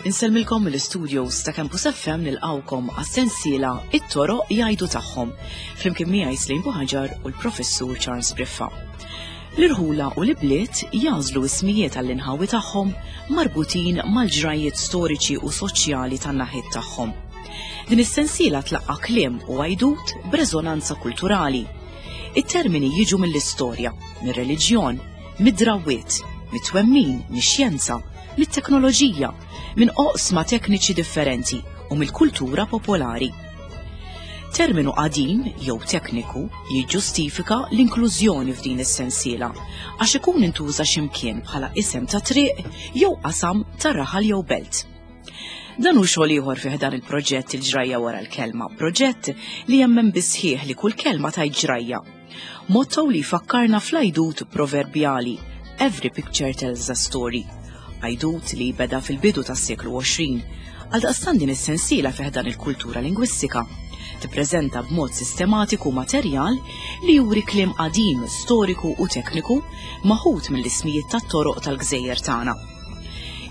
Insellmilkom mill-istudios ta' Campus FM nilqawkom għas-sensiela It-toroq jgħidu tagħhom flimkien miegħi Slim Buħaġar u l-Professur Charles Briffa. L-irħula u l-ibliet jagħżlu ismijiet għall-inħawi tagħhom marbutin mal-ġrajjiet storiċi u soċjali tan-naħiet tagħhom. Din is-sensiela tlaqqa' kliem u għajdut b'reżonanza kulturali. It-termini jiġu mill-istorja, mir-reliġjon, mid-drawwiet, mit-twemmin, mix-xjenza, mit-teknoloġija, minn oqsma tekniċi differenti u mill-kultura popolari. Terminu qadim jew tekniku jiġġustifika l-inklużjoni f'din is-sensiela għax ikun intuża x'imkien bħala isem ta' triq jew qasam ta' raħal jew belt. Dan hu xogħol ieħor fih dan il-proġett il-ġrajja wara l-kelma, proġett li jemmen bisħieħ li kull kelma tajt ġrajja. Motto li jfakkarna fl-għajdut proverbjali Every picture tells a story. Għajdut li beda fil-bidu tas-seklu 20. Għaldaqstant din is-sensiela fih dan il-kultura lingwistika tippreżenta b'mod sistematiku materjal li juri kliem qadim, storiku u tekniku maħud mill-ismijiet tat-toroq tal-gżejjer tagħna.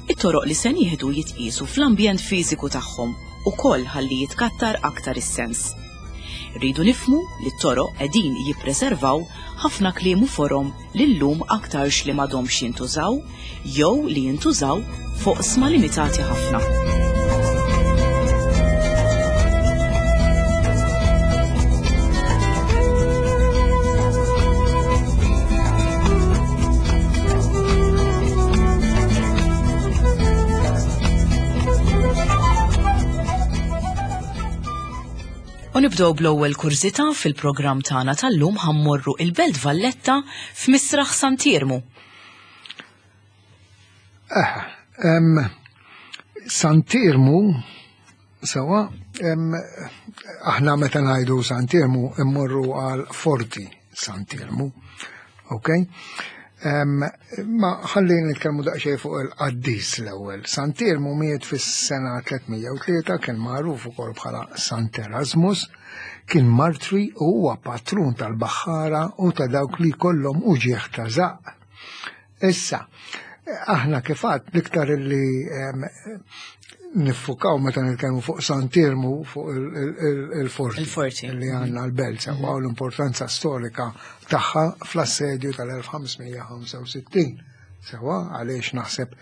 It-toroq li se nieħdu jitqiesu fl-ambjent fiżiku tagħhom ukoll ħalli jitkattar aktar is-sens. Irridu nifhmu li t-toroq qegħdin jippreservaw ħafna kliem u forom li llum aktarx li m'għadhomx jintużaw jew li jintużaw f'oqsma limitati ħafna. U nibdew bl-ewwel kurżità fil-programm tagħna tal-lum ħammorru il-Belt Valletta f'Misraħ Sant'Iermu. Eh, Sant'Iermu sewa, aħna meta ngħidu Sant'Iermu immorru għal Forti Sant'Iermu. Ok? Ma ħalli nitkellmu daqsxejn fuq il-qaddis l-ewwel. Sant'Iermu miet fis-sena 303 kien magħruf ukoll bħala Sant Erasmus, kien martri u huwa patrun tal-baħħara u ta' dawk li kollhom uġieħ ta' żaqq. Issa, aħna kif għad l-iktar li niffukaw meta nitkellmu fuq Sant'Iermu fuq il-forti. Il-forti. Li għandna l-belt sewa u l-importanza storika tagħha fl-assedju tal-1565. Sewa għaliex naħseb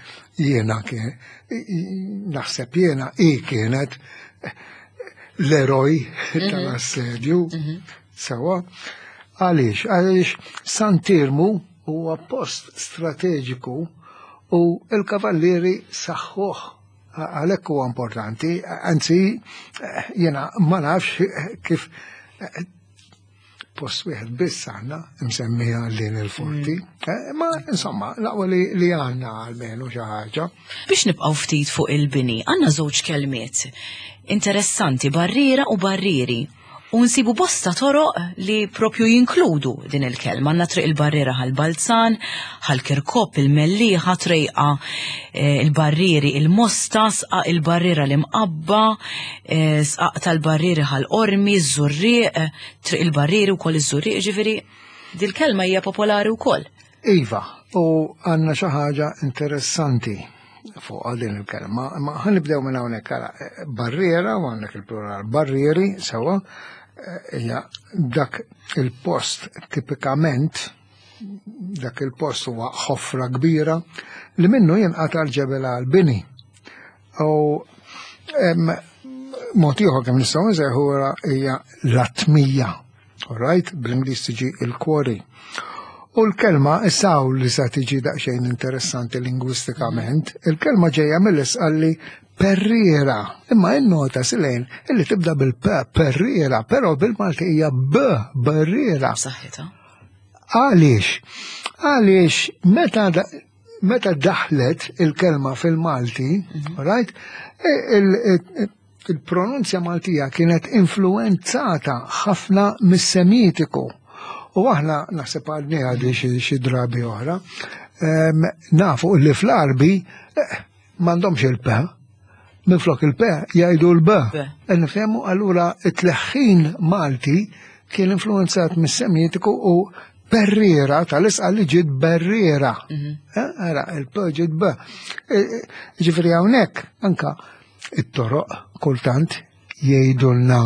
jiena naħseb jiena i kienet l-eroj mhm. tal-assedju. Mhm. Sewa għaliex għaliex Sant'Iermu Huwa post strateġiku u l-Kavallieri saħħuh għalhekk huwa importanti, anzi jiena ma nafx kif post wieħed biss għandna msemmija lin il-forti. Mm. Eh, ma insomma, laqwa li, li għandna għalmenu xi ħaġa. Biex nibqgħu ftit fuq il-bini, għandna żewġ kelmiet interessanti, barriera u barrieri. U nsibu bosta toroq li propju jinkludu din il-kelma. Għandna triq il-barriera ħal Balzan, ħal Kirkop, il-Mellieħa, trejqa eh, il-barrieri il-Mosta, sqaq il-barriera l-Imqabba, eh, sqaq tal-barrieri ħal Qormi, iż-Żurrieq, eh, triq il-barrieri wkoll iż-Żurrieq, ġifieri dil-kelma hija popolari wkoll. Iva, u għandna xi ħaġa interessanti fuq din il-kelma, imma ħanibdew minn hawnhekk ara barriera u għandek il-plural barrieri sewa eh, hija dak il-post tipikament dak il-post huwa ħofra kbira li minnu jinqata' l-ġebel għal-bini. U mod ieħor kemm nistgħu nżejħu hija l-atmija. Alright, bl-Ingliż tiġi il-quarry. U l-kelma issa hawn li sa tiġi daqsxejn interessanti lingwistikament, il-kelma ġejja mill-isqalli perriera, imma innota silejn illi tibda bil-p perriera, però bil-Malti hija b barriera. Saħħitha. Għaliex? Għaliex meta meta daħlet il-kelma fil-Malti, mhm. right, Il-pronunzja Maltija kienet influwenzata ħafna mis-Semitiku. U aħna naħseb għadni għadi xi drabi oħra, ehm, nafu li fl-Arbi eh, m'għandhomx il-P, minflok il-P jgħidu l-B. Nifhemu allura it-tleħħin Malti. kien influenzat mis-Semitiku u perriera tal-isqa li ġiet berriera. Eh, ara, il-P ġiet B. Eh, eh, ġifieri hawnhekk anka it-toroq kultant jgħidulna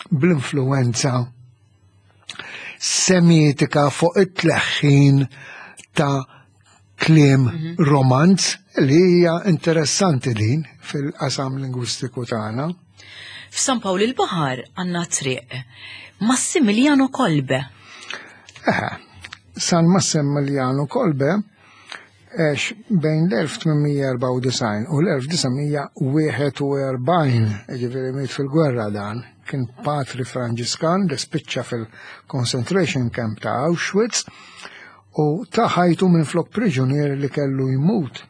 bl-influenza semitika fuq it-tleħħin ta' kliem romanz li hija interessanti din fil-qasam lingwistiku tagħna. F'San Pawl il-Baħar għandna triq Massimiliano Kolbe. Eħe, San Massimiliano Kolbe għex bejn l-1894 u l-1941, ġifieri miet fil-gwerra dan, kien patri Franġiskan li spiċċa fil-concentration camp ta' Auschwitz u ta ħajtu minflok priġunier li kellu jmut.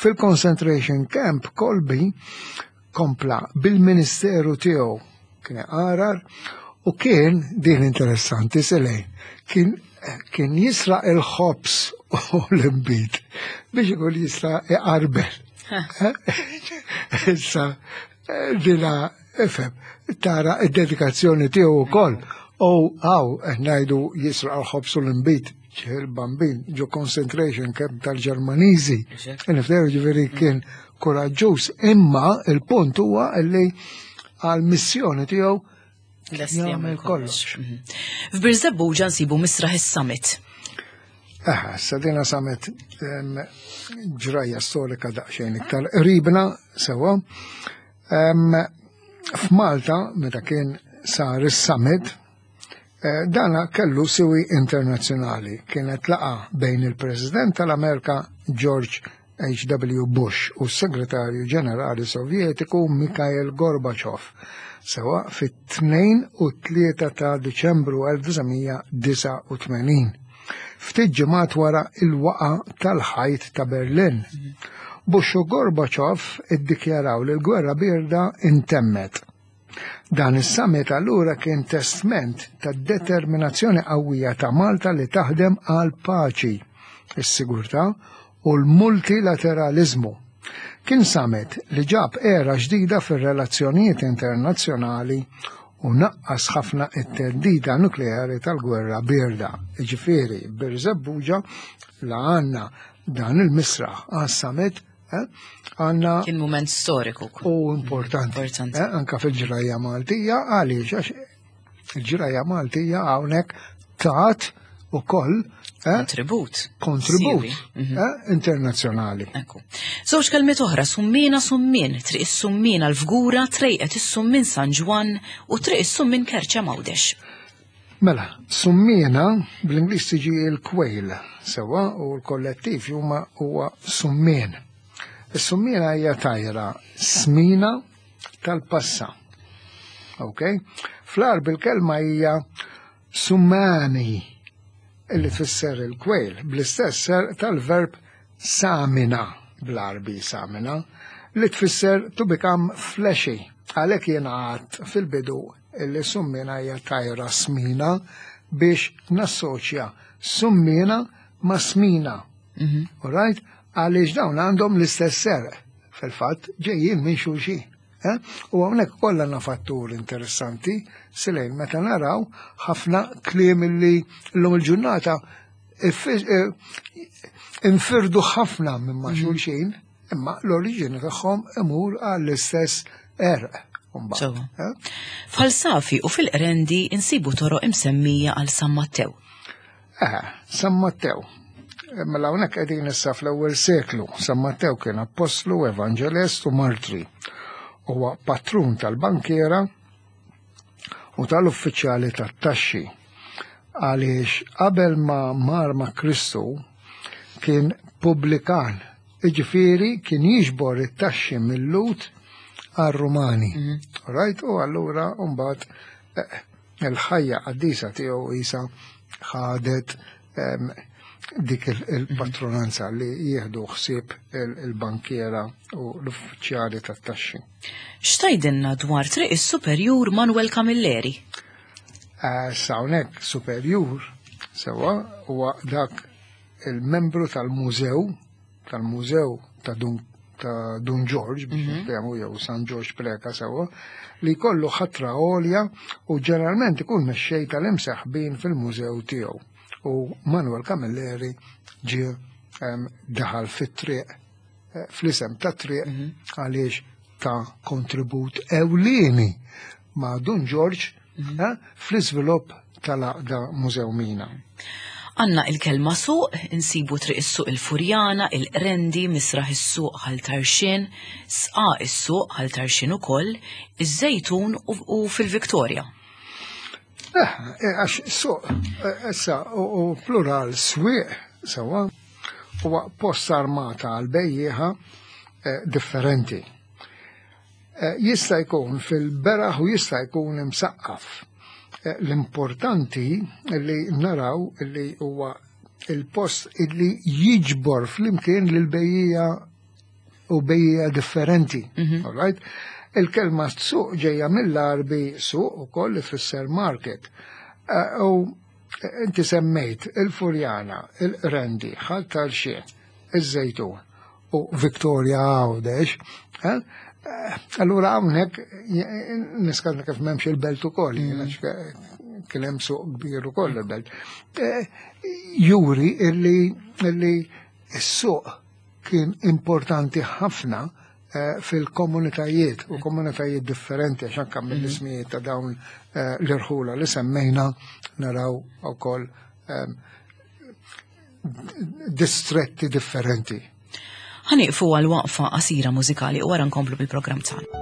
Fil-concentration camp Kolbe kompla bil-ministeru tiegħu kien iqarar u kien din interessanti selejn kien kien jisraq il-ħobż u l-imbit biex ikun jista' iqarbel. Issa dina ifhem tara id-dedikazzjoni tiegħu wkoll. U għaw qed ngħidu jisraq il-ħobż u l-imbit il-bambin ġo concentration camp tal-Ġermaniżi. Nifteru ġifieri kien kuraġġuż, imma il-punt huwa li għal-missjoni tiegħu jagħmel kollox. Mhm. F'Birżebbuġa nsibu Misraħ is-Summit. Aha, sadina summit ġrajja storika daqsxejn iktar qribna sewa. F'Malta, meta kien sar is-summit, eh, dana kellu siwi internazzjonali. Kienet laqa bejn il-President tal-Amerika George H.W. Bush u s-Segretarju Ġenerali Sovjetiku Mikhail Gorbachev sewa fit-2 u 3 ta' Diċembru 1989. Ftit ġimgħat wara il-waqa tal-ħajt ta' Berlin. Bush u Gorbachev iddikjaraw li l-gwerra bierda intemmet. Dan is-summit allura kien testment ta' determinazzjoni qawwija ta' Malta li taħdem għal paċi, is-sigurtà u l-multilateraliżmu. Kien summit li ġab era ġdida fir-relazzjonijiet internazzjonali u naqqas ħafna it-theddida nukleari tal-gwerra bierda. Jiġifieri Birżebbuġa la għandna dan il-misraħ għas-summit Eh? Għanna. Kien moment storiku. U importanti. importanti. Eh? Anka fil-ġrajja Maltija, għaliex għax il-ġrajja Maltija hawnhekk tat ukoll eh? kontribut. Kontribut. internazzjonali. Ekku. Żewġ kelmiet oħra, summina summin, triq is-summina l-fgura, trejqet is-summin San Ġwann u triq is-summin Kerċa Mawdex. Mela, summina bl-Ingliż tiġi il-kwejl, sewa, u l-kollettiv huma huwa summien. Is-summina hija tajra smina tal-passa. Ok? Fl-Għarbi l-kelma hija summani illi tfisser il-kwejl, bl-istess ser tal-verb samina bl-Għarbi samina li tfisser to become fleshy. Għalhekk jiena għadt fil-bidu illi summina hija tajra smina biex nassoċja summina ma' smina. Mm -hmm. Right? Għaliex dawn għandhom l-istess serq. Fil-fatt ġejjin minn xulxin. Eh? U hawnhekk kollha għandna fattur interessanti silejn meta naraw ħafna kliem illi llum il-ġurnata eh, infirdu ħafna minn ma' mhm. xulxin. Imma l-oriġini tagħhom imur għall-istess erq. Eh? F'Ħal Safi u fil-Qrendi insibu toroq imsemmija għal San Mattew. Eh, San Mattew. Eh, mela hawnhekk qegħdin issa fl-ewwel seklu. San Mattew kien appostlu, evanġelist u martri. Huwa patrun tal-bankiera u tal-uffiċjali tat-taxxi. Għaliex qabel ma mar ma' Kristu kien pubblikan, jiġifieri kien jiġbor it-taxxi mil-Lhud għar-Rumani. Mhm. Right? U allura mbagħad eh, il-ħajja qaddisa tiegħu isa ħadet dik il-patronanza li jieħdu ħsieb il-bankiera u l-uffiċjali tat-taxxi. X'tgħidilna dwar Triq is-Superjur Manuel Camilleri? Eh, Hawnhekk superjur sewwa huwa dak il-membru tal-mużew tal-mużew ta' Dun ta' Dun Ġorġ biex mhm. niftehmu jew San Ġorġ Preka sewwa li jkollu ħatra għolja u ġeneralment ikun mexxej tal-imseħbin fil-mużew tiegħu. U Manuel Camilleri ġie daħal fit-triq eh, fl-isem ta' triq mhm. għaliex ta' kontribut ewlieni ma' Dun Ġorġ mhm. eh, fl-iżvilupp tal-għaqda Mużew Mina. Għanna il-kelma suq, insibu triq is-suq il-Furjana, il-Qrendi, misraħ is-suq Ħal Tarxien, sqa is-suq Ħal Tarxien ukoll, iż-Żejtun u fil-Viktorja. Eh, eh, għax suq, eh, issa, u plural swieq, sewa, huwa post armata għal bejjieħa differenti. Jista' jkun fil-beraħ u jista' jkun imsaqqaf. L-importanti li naraw li huwa il-post illi jiġbor flimkien lil bejjija u bejja differenti. Mhm. All right? Il-kelma suq ġejja mill-Arbi suq ukoll li fisser market. Eh, u inti semmejt il-Furjana, il-Rendi, Ħal Tarxien, iż-Żejtun u Victoria Għawdex. Eh? Eh, allura hawnhekk niskanta kif m'hemmx il-belt ukoll, mm. kien hemm suq kbir ukoll il-belt. Juri illi s-suq kien importanti ħafna eh, fil-komunitajiet u komunitajiet differenti għax anke mhm. mill-ismijiet ta' dawn eh, l-irħula li semmejna naraw ukoll ehm, distretti differenti. Ħaniqfu għal waqfa qasira mużikali u wara nkomplu bil-programm tagħna.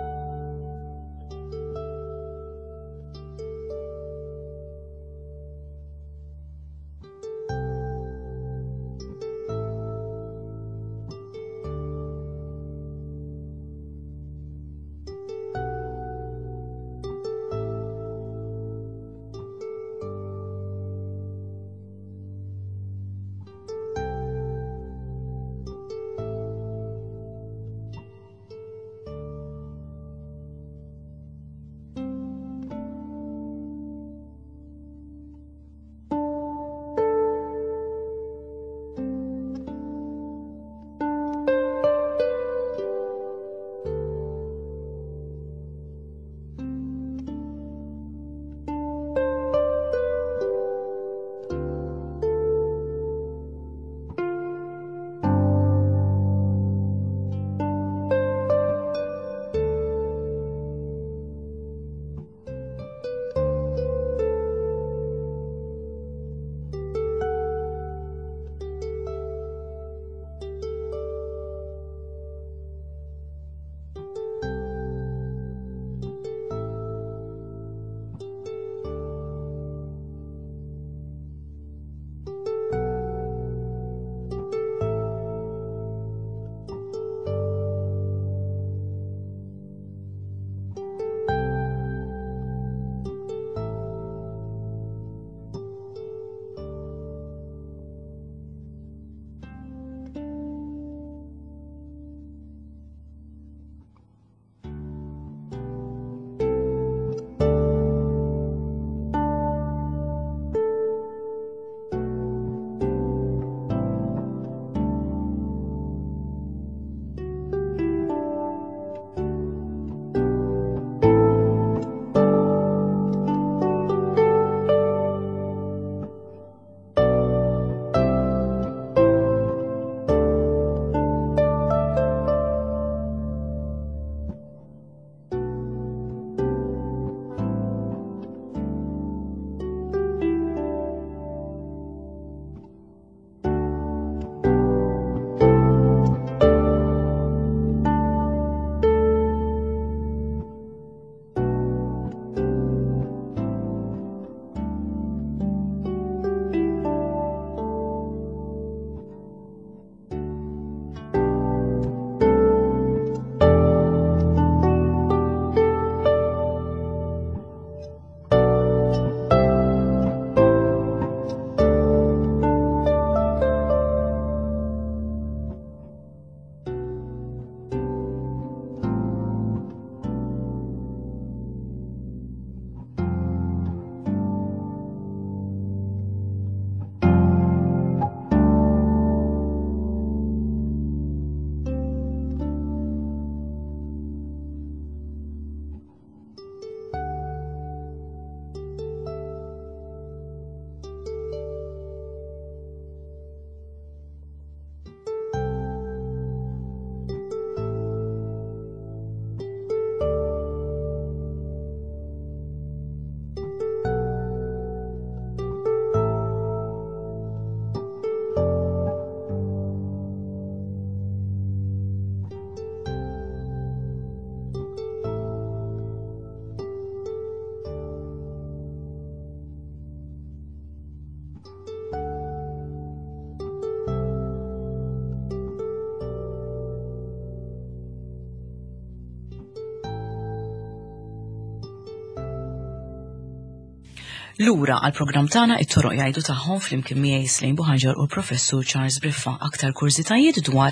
Lura għall-programm tagħna it-toroq jgħidu tagħhom flimkien miegħi Slejn Buħaġar u l-Professur Charles Briffa. Aktar kurżitajiet dwar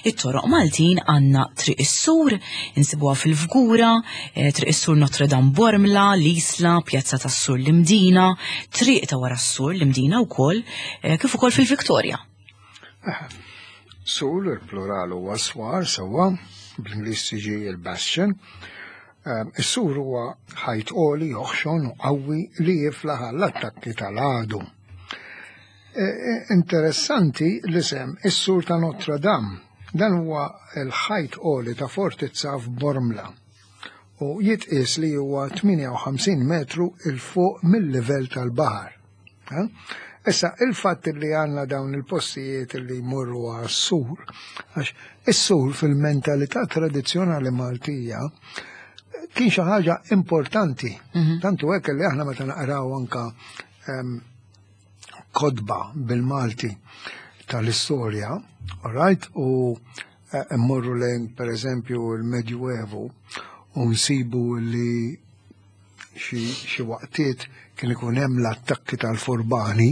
it-toroq Maltin għandna Triq is-Sur, insibuha fil-Fgura, eh, Triq is-Sur Notre Dame Bormla, l-Isla, Pjazza tas-Sur l-Imdina, Triq ta' wara s-Sur l-Imdina wkoll, eh, kif ukoll fil-Viktorja. Eh, sur, il-plural huwa swar sewwa, bl-Ingliż tiġi il-bastion. Ehm, is-sur huwa ħajt għoli, oħxon u qawwi li jiflaħ għall-attakki tal-għadu. E, e, interessanti l-isem is-sur ta' Notre Dame. Dan huwa l-ħajt għoli ta' fortizza f'Bormla u jitqies li huwa 58 metru il fuq mill-livell tal-baħar. Issa, il-fatt li għandna dawn il-postijiet li jmorru għas-sur, għax is-sur fil-mentalità tradizzjonali Maltija kien xi ħaġa importanti. Mhm. Tantu hekk li aħna meta naqraw anka ehm, kodba bil-Malti tal-istorja, all right, u eh, mmorru lejn per eżempju l-Medjuevu u nsibu li xi waqtiet kien ikun hemm l-attakki tal-furbani,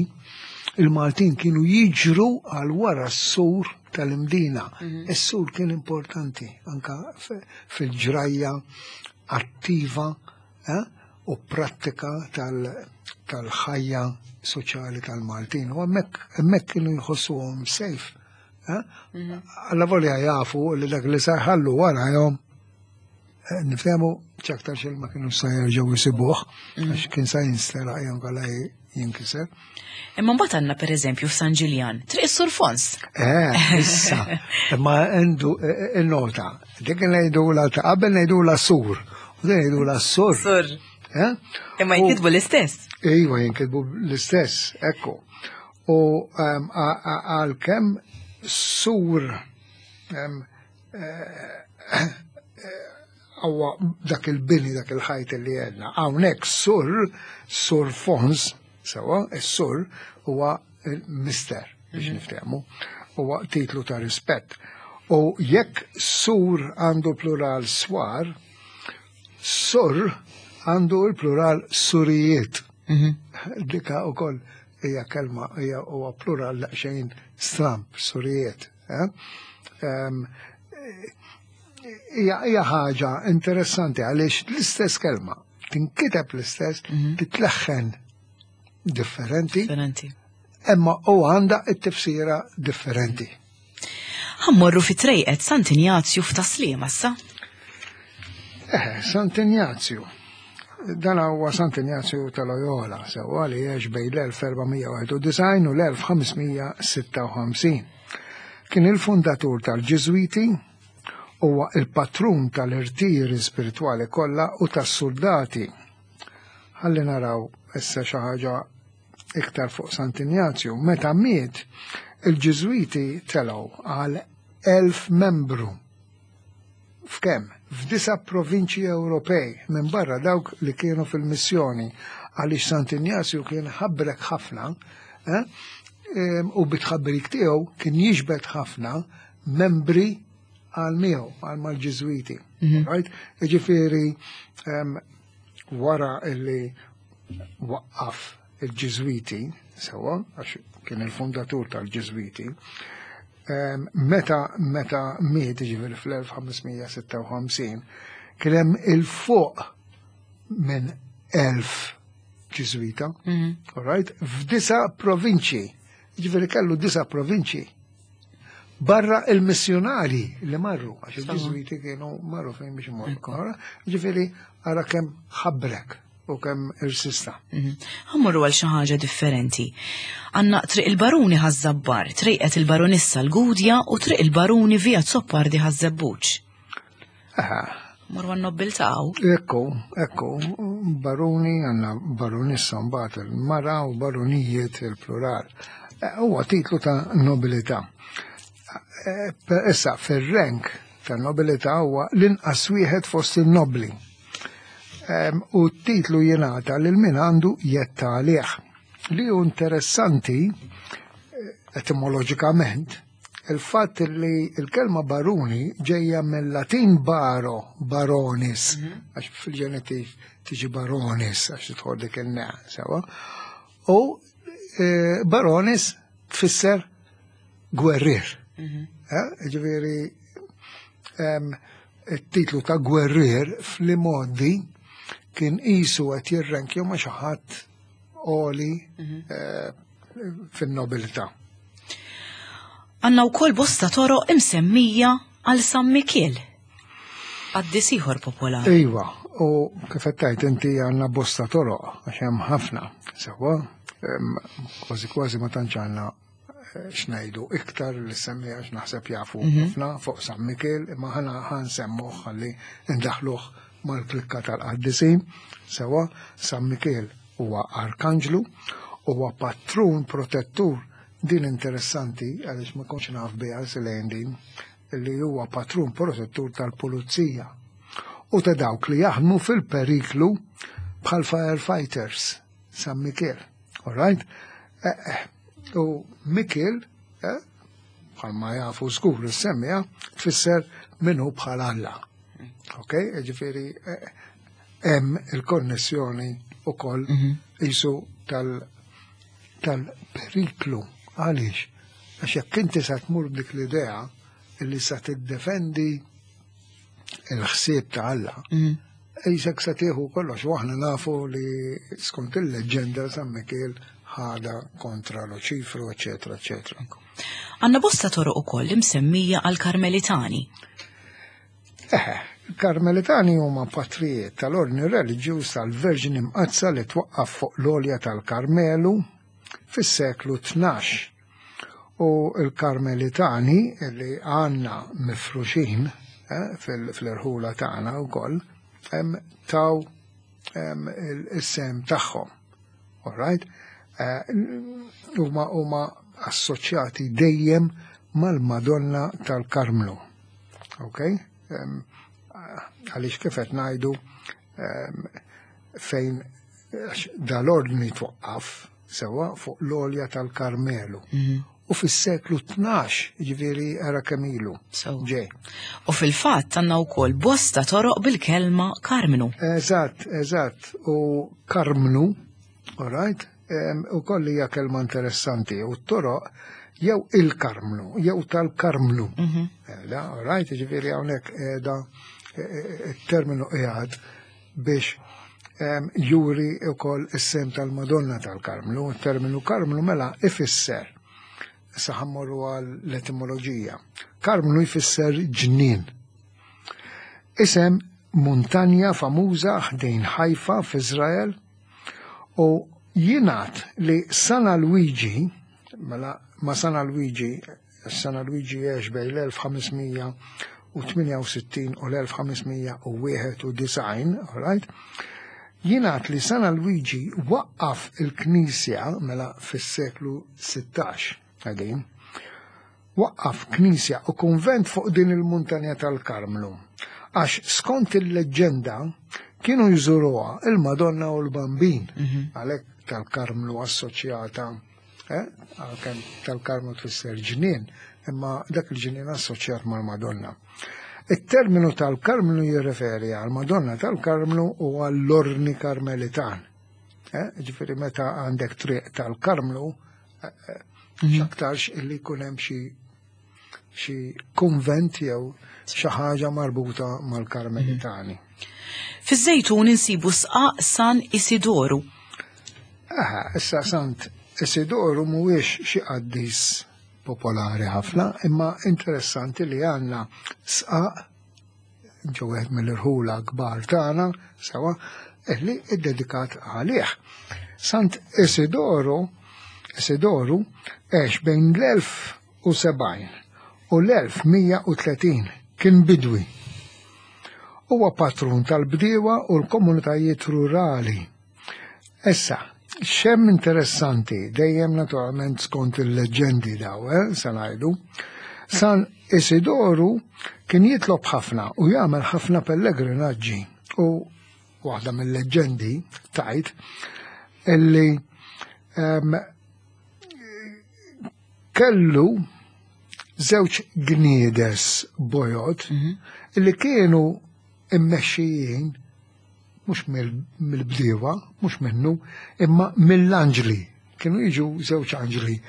il-Maltin kienu jiġru għal wara s-sur tal-Imdina. Mhm. Is-sur kien importanti anka fil-ġrajja attiva eh, u prattika tal-ħajja soċjali tal-Maltin. U hemmhekk kienu jħossuhom safe. Eh? Mhm. Alla volja jafu li dak li sarħallu warajhom Eh, nifhemu ċaktar xil ma kienu sa jerġgħu jsibuh, mm. għax kien sa jinsteraq jew kalla jinkiser. Imma mbagħad għandna pereżempju f'San Ġiljan, triq is-Sur Fons. Eh, issa, imma għandu eh, eh, il-nota, dik ngħidu la ta' qabel ngħidu la sur, u din ngħidu la sur. Sur. Imma jinkitbu l-istess. Iva, jinkitbu l-istess, ekku. U ehm, għalkemm sur ehm, Għawa dak il-bini, dak il-ħajt li għedna. Hawnhekk sur, sur fons, sewa, is-sur huwa mister biex mhm. niftehmu, huwa titlu ta' rispett. U jekk sur għandu plural swar, sur għandu l-plural surijiet. Mhm. Dika u koll hija kelma hija huwa plural daqsxejn stramp, surijiet. Eh? Hija ħaġa interessanti għaliex l-istess kelma tinkiteb l-istess, mhm. titleħħen differenti. Differenti. Imma u għandha it-tifsira differenti. Ħammorru fi trejqet Sant'Injazju f'Taslima issa. Eh, Sant'Injazju. Dan huwa Sant'Injazju ta' Loyola, sewwa li għex bejn l-1491 u l-1556. Kien il-fundatur tal-Ġiżwiti, huwa il-patrun tal-irtiri spiritwali kollha u tas-suldati. Ħalli naraw issa xi ħaġa iktar fuq Sant'Injazju. Meta miet, il-Ġiżwiti telgħu għal 1000 membru. F'kemm? F'disa' provinċji Ewropej, minbarra dawk li kienu fil-missjoni, għaliex Sant'Injazju kien ħabrek ħafna, eh, u bit-tħabbrik tiegħu kien jiġbed ħafna membri għal miegħu, għal mal-Ġiżwiti. Mhm. Right? Jiġifieri wara illi waqqaf il-Ġiżwiti, sewwa, għax kien il-fundatur tal-Ġiżwiti, meta meta miet ġifieri fl-1556, kien hemm il-fuq minn 1000 Ġiżwita, mhm. all right, f'disa provinċji, ġifieri kellu disa provinċji. Barra il-missjonari li marru, għax il-Ġiżwiti kienu marru fejn biex imorru. Ġifieri ara kemm ħabbrek u kemm irsista. Mhm. Ħammorru għal xi ħaġa differenti. Għandna Triq il-Baruni Ħaż-Żabbar, Triqet il-Baronissa l-Gudja u Triq il-Baruni Via Zoppardi Ħaż-Żebbuġ. Morru għan-nobbiltà hawn. Ekku, ekku, baruni għandna baronissa mbagħad il-mara u baronijiet il-plural. Eh, huwa titlu ta' nobilità. Eh, issa fir-rank ta' nobilità huwa l-inqas wieħed fost il-nobli. U t-titlu jingħata lil min għandu jetta għalih. Li hu interessanti eh, etimoloġikament. il-fatt li l-kelma baruni ġejja mill-Latin baro, baronis, għax fil-ġenetiv tiġi baronis għax tidħol dik il-ne, sewa. U eh, baronis tfisser gwerrier. Eh, ġifieri it-titlu ta' gwerrier fl-imgħoddi kien qisu qed jirrenkju ma' xi ħadd għoli mhm. eh, fin-nobilità. Għanna wkoll bosta toroq imsemmija għal San Mikiel. Qaddis ieħor popolari. Iva, u kif qed tgħid inti għandna bosta toroq għax hemm ħafna, sewwa, kważi kważi ma tantx għandna eh, x'ngħidu iktar li semmi għax naħseb jafu mhm. ħafna fuq San Mikiel, imma ħana ħansemmuh ħalli ndaħluh mal-klikka tal-qaddisin, sewwa San Mikiel huwa arkanġlu, huwa patrun protettur din interessanti għaliex ma kontx naf biha silejn din li huwa patrun protettur tal-pulizija u ta' dawk li jaħdmu fil-periklu bħal firefighters San Mikiel. All right? Eh, eh, u Mikiel, eh, bħalma jafu żgur is-semmija, tfisser minnu bħal Alla. Ok, ġifieri hemm il-konnessjoni ukoll mhm. isu tal-periklu. Għaliex? Għax jekk inti sa tmur dik l-idea illi sa tiddefendi il-ħsieb ta' Alla, mhm. Ejsek sa tieħu kollox, u aħna nafu li skont il-leġġenda San Mikiel ħada kontra Luċifru, eċetera, eċetera. Għanna bosta toroq ukoll imsemmija għal Karmelitani. Eħe, il-Karmelitani huma patrijiet tal-ordni reliġjuż tal-Verġni Mqaddsa li twaqqaf fuq l-għolja tal-Karmelu fis-seklu 12. U l-Karmelitani li għandna mifruxin eh, fil-irħula tagħna wkoll taw il-sem tagħhom. All right? Eh, huma huma assoċjati dejjem mal-Madonna tal-Karmnu. Ok? Għaliex kif qed ngħidu fejn dal-ordni twaqqaf sewa fuq l-olja tal-Karmelu. Mhm. U fis-seklu 12, ġifieri era kemm ilu. Ġej. U fil-fatt għandna wkoll bosta toroq bil-kelma Karmnu. Eżatt, eżatt. U Karmnu, all right, u koll hija kelma interessanti u t-toroq jew il-Karmnu, jew tal-Karmnu. Mhm. Eh, all right, ġifieri hawnhekk qiegħda eh, eh, it-terminu qiegħed biex juri wkoll is-sem tal-Madonna tal-Karmnu. Il-terminu Karmnu mela ifisser issa ħammorru għal l-etimoloġija. Karmnu jfisser ġnien. Isem muntanja famuża ħdejn Ħajfa f'Iżrael U jingħad li San Alwiġi, mela ma San Alwiġi, San Alwiġi għex bejn l-1568 u l-1591, all right? Jingħad li San Alwiġi waqqaf il-Knisja mela fis-seklu 16, għadin, Waqqaf knisja u kunvent fuq din il-muntanja tal-Karmnu, għax skont il-leġġenda kienu jżuruha il-Madonna u l-Bambin, mhm. għalhekk tal-Karmnu assoċjata, eh, għalkemm tal-Karmnu tfisser ġnien, imma dak il-ġnien assoċjat mal-Madonna. Il-terminu tal-Karmnu jirreferi għal-Madonna tal-Karmnu u għall-Orni Karmelitan. Eh, ġifieri meta għandek triq tal-Karmnu, mhm. x'aktarx illi jkun hemm xi xi kunvent jew xi ħaġa marbuta mal-Karmelitani. Mhm. Fiż-Żejtun insibu sqaq San Isidoru. Aha, issa Sant Isidoru mhuwiex xi qaddis popolari ħafna, imma interessanti li għandna sqaq ġo wieħed mill-irħula kbar tagħna, sewa, illi iddedikat għalih. Sant Isidoru, Isidoru għex bejn l-1070 u l-1130 kien bidwi. Huwa patrun tal-bdiewa u l-komunitajiet rurali. Issa, xem interessanti, dejjem naturalment skont il-leġendi daw, eh, se ngħidu, San Isidoru kien jitlob ħafna u jagħmel ħafna pellegrinaġġi u waħda mill-leġendi tajt illi um, kellu żewġ gniedes bojod li kienu immexxijin mhux mill-bdiewa, mhux minnu, imma mill-anġli. Kienu jiġu żewġ anġli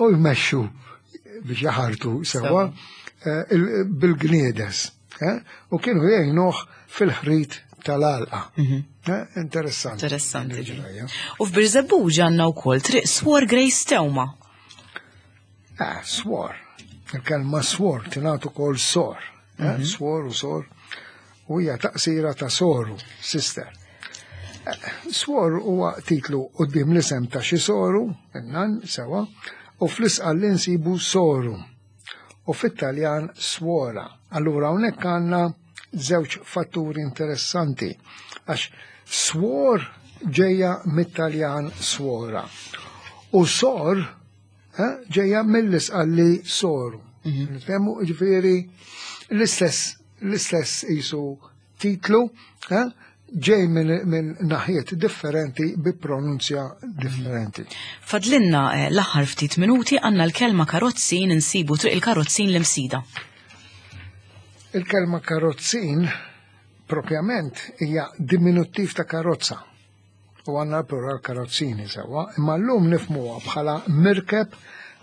u jmexxu biex jaħartu sewwa eh, bil-gniedes. Eh, u kienu jgħinuh fil-ħrit tal-alqa. Mhm. Eh, interessanti. Interessanti. U f'Birżebbuġa għandna wkoll triq Swor Grace Teuma. Ah, swor. Il-kelma swor tingħad ukoll sor. Eh, mhm. Swor u sor. U hija taqsira ta' soru, sister. Eh, swor huwa titlu qudiem l-isem ta' xi soru, innan sewa, u fl-isqal li nsibu soru. U fit-Taljan swora. Allura hawnhekk għandna żewġ fatturi interessanti għax swor ġejja mit-Taljan swora u sor eh, ġejja mill-isqalli soru. Mhm. Nifhemu ġifieri l-istess l-istess isu titlu eh, ġej minn naħiet differenti bi pronunzja differenti. Fadlinna eh, l-aħħar ftit minuti għandna l-kelma karozzin insibu triq il-karozzin l-imsida. Il-kelma karozzin propjament hija diminuttiv ta' karozza u għandna l-plural karozzini sewwa, imma llum nifhmuha bħala mirkeb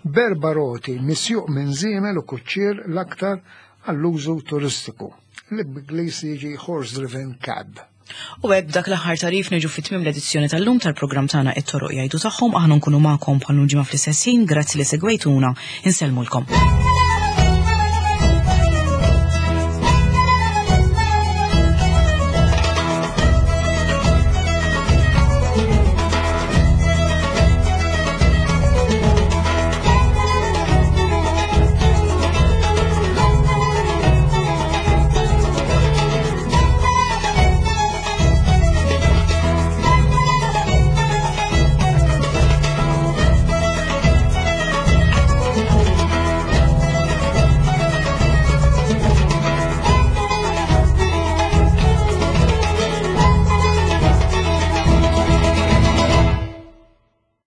b'erba' roti misjuq minn żiemel u kuċċier l-aktar għall-użu turistiku, li b'Ingliż jiġi horse-driven cab. U hekk b'dak l-aħħar tagħrif niġu fi tmiem l-edizzjoni tal-lum tal-programm tagħna It-Toroq Jgħidu Tagħhom. Aħna nkunu magħkom bħal ġimgħa fl-istess ħin. Grazzi li segwejtuna. Insellmulkom.